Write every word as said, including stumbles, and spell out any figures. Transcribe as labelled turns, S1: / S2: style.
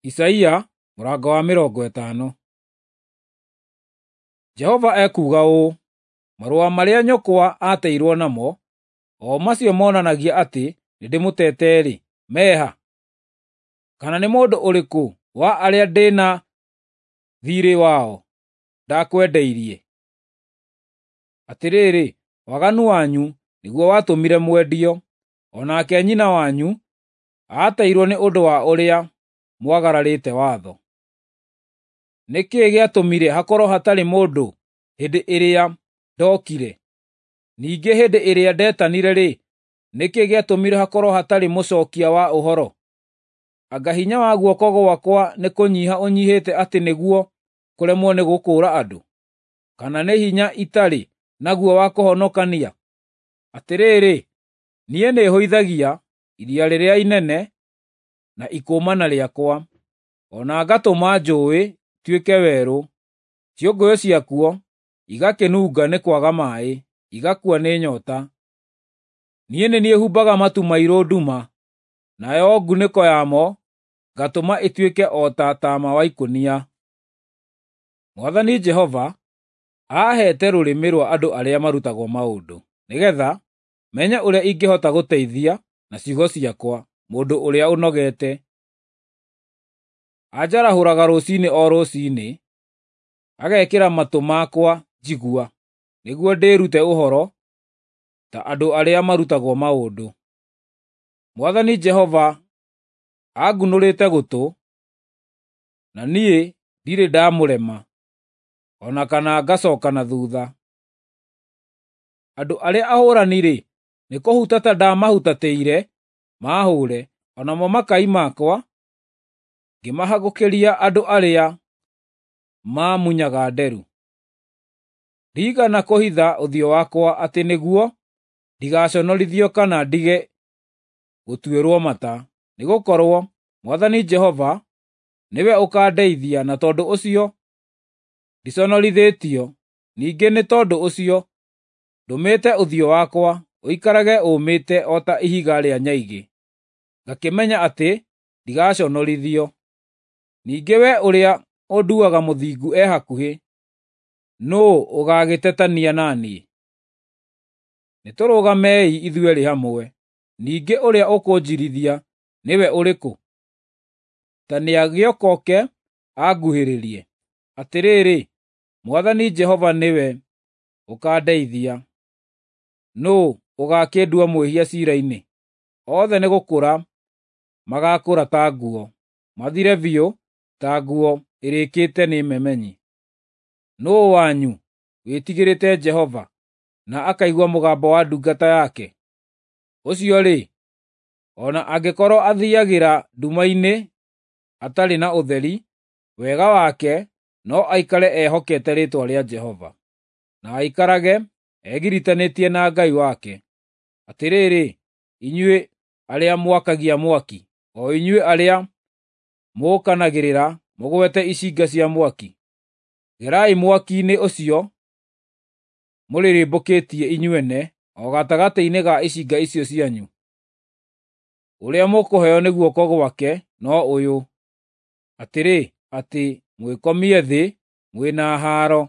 S1: Isaia mũrango wa mĩrongo ĩtano. Jehova ekuuga ũũ: Marũa marĩa nyũkwa aateirwo namo, o macio monanagia atĩ nĩndĩmũteete-rĩ, me ha? Kana nĩ mũndũ ũrĩkũ wa arĩa ndĩ na thiirĩ wao ndakwendeirie? Atĩrĩrĩ, waganu wanyu nĩguo watũmire mwendio, o nake nyina wanyu aateirwo nĩ ũndũ wa ũrĩa mwagararĩte watho. Nĩ kĩĩ gĩatũmire hakorwo hatarĩ mũndũ hĩndĩ ĩrĩa ndookire? Ningĩ hĩndĩ ĩrĩa ndetanire-rĩ, nĩ kĩĩ gĩatũmire hakorwo hatarĩ mũcookia wa ũhoro? Anga hinya wa guoko gwakwa nĩkũnyiiha ũnyiihĩte atĩ nĩguo kũremwo nĩ gũkũũra andũ? Kana nĩ hinya itarĩ naguo wa kũhonokania? Atĩrĩrĩ, niĩ nĩhũithagia iria rĩrĩa inene na ikũmana rĩakwa, o na ngatũma njũũĩ ituĩke werũ, ciũngũyũ ciakuo igakĩnunga nĩ kwaga maaĩ, igakua nĩ nyoota. Niĩ nĩ niĩ humbaga matu mairũ nduma, nayo ngunĩko yamo ngatũma ĩtuĩke o ta taama wa ikũnia. Mwathani Jehova aaheete rũrĩmĩ rwa andũ arĩa marutagwo maũndũ, nĩgeetha menye ũrĩa ingĩhota gũteithia na ciugo ciakwa mũndũ ũrĩa ũnogete. Anjarahũraga rũciinĩ o rũciinĩ, agekĩra matũ makwa njigua, nĩguo ndĩĩrute ũhoro ta andũ arĩa marutagwo maũndũ. Mwathani Jehova angunũrĩte gũtũ, na niĩ ndirĩ ndamũrema, o na kana ngacooka na thuutha. Andũ arĩa ahũũrani-rĩ, nĩkũhutata ndamahutatĩire maahũũre, o namo makai makwa ngĩmahagũkĩria andũ arĩa maamunyaga nderu. Ndiigana kũhitha ũthiũ wakwa atĩ nĩguo ndigaconorithio kana ndige gũtuĩrwo mata, nĩgũkorwo Mwathani Jehova nĩwe ũkaandeithia na tondũ ũcio ndiconorithĩtio. Ningĩ nĩ tondũ ũcio ndũmĩte ũthiũ wakwa ũikarage ũũmĩte o ta ihiga rĩa nyaigĩ, ngakĩmenya atĩ ndigaconorithio. Ningĩ we ũrĩa ũnduuaga mũthingu e hakuhĩ, nũũ ũgaagĩtetania na niĩ? Nĩtũrũgamei ithuerĩ hamwe. Ningĩ ũrĩa ũkũnjiirithia nĩwe ũrĩkũ? Ta nĩagĩũke anguhĩrĩrie. Atĩrĩrĩ, Mwathani Jehova nĩwe ũkaandeithia. Nũũ ũgaakĩndua mwĩhia ciira-inĩ? Othe nĩgũkũra magaakũra ta nguo, mathire biũ ta nguo ĩrĩkĩte nĩ memenyi. Nũũ wanyu wĩtigĩrĩte Jehova na akaigua mũgambo wa ndungata yake? Ũcio-rĩ, o na angĩkorwo athiiagĩra nduma-inĩ atarĩ na ũtheri, wega wake no aikare ehokete rĩĩtwa rĩa Jehova, na aikarage egiritanĩtie na Ngai wake. Atĩrĩrĩ, inyuĩ arĩa mwakagia mwaki, o inyuĩ arĩa mũũkanagĩrĩra mũgwete icinga cia mwaki, gerai mwaki-inĩ ũcio mũrĩrĩmbũkĩtie inyuene o gatagatĩ-inĩ ga icinga icio cianyu. Ũrĩa mũkũheo nĩ guoko gwake no ũyũ, atĩrĩ, atĩ mwĩkomie thĩ mwĩ na haaro.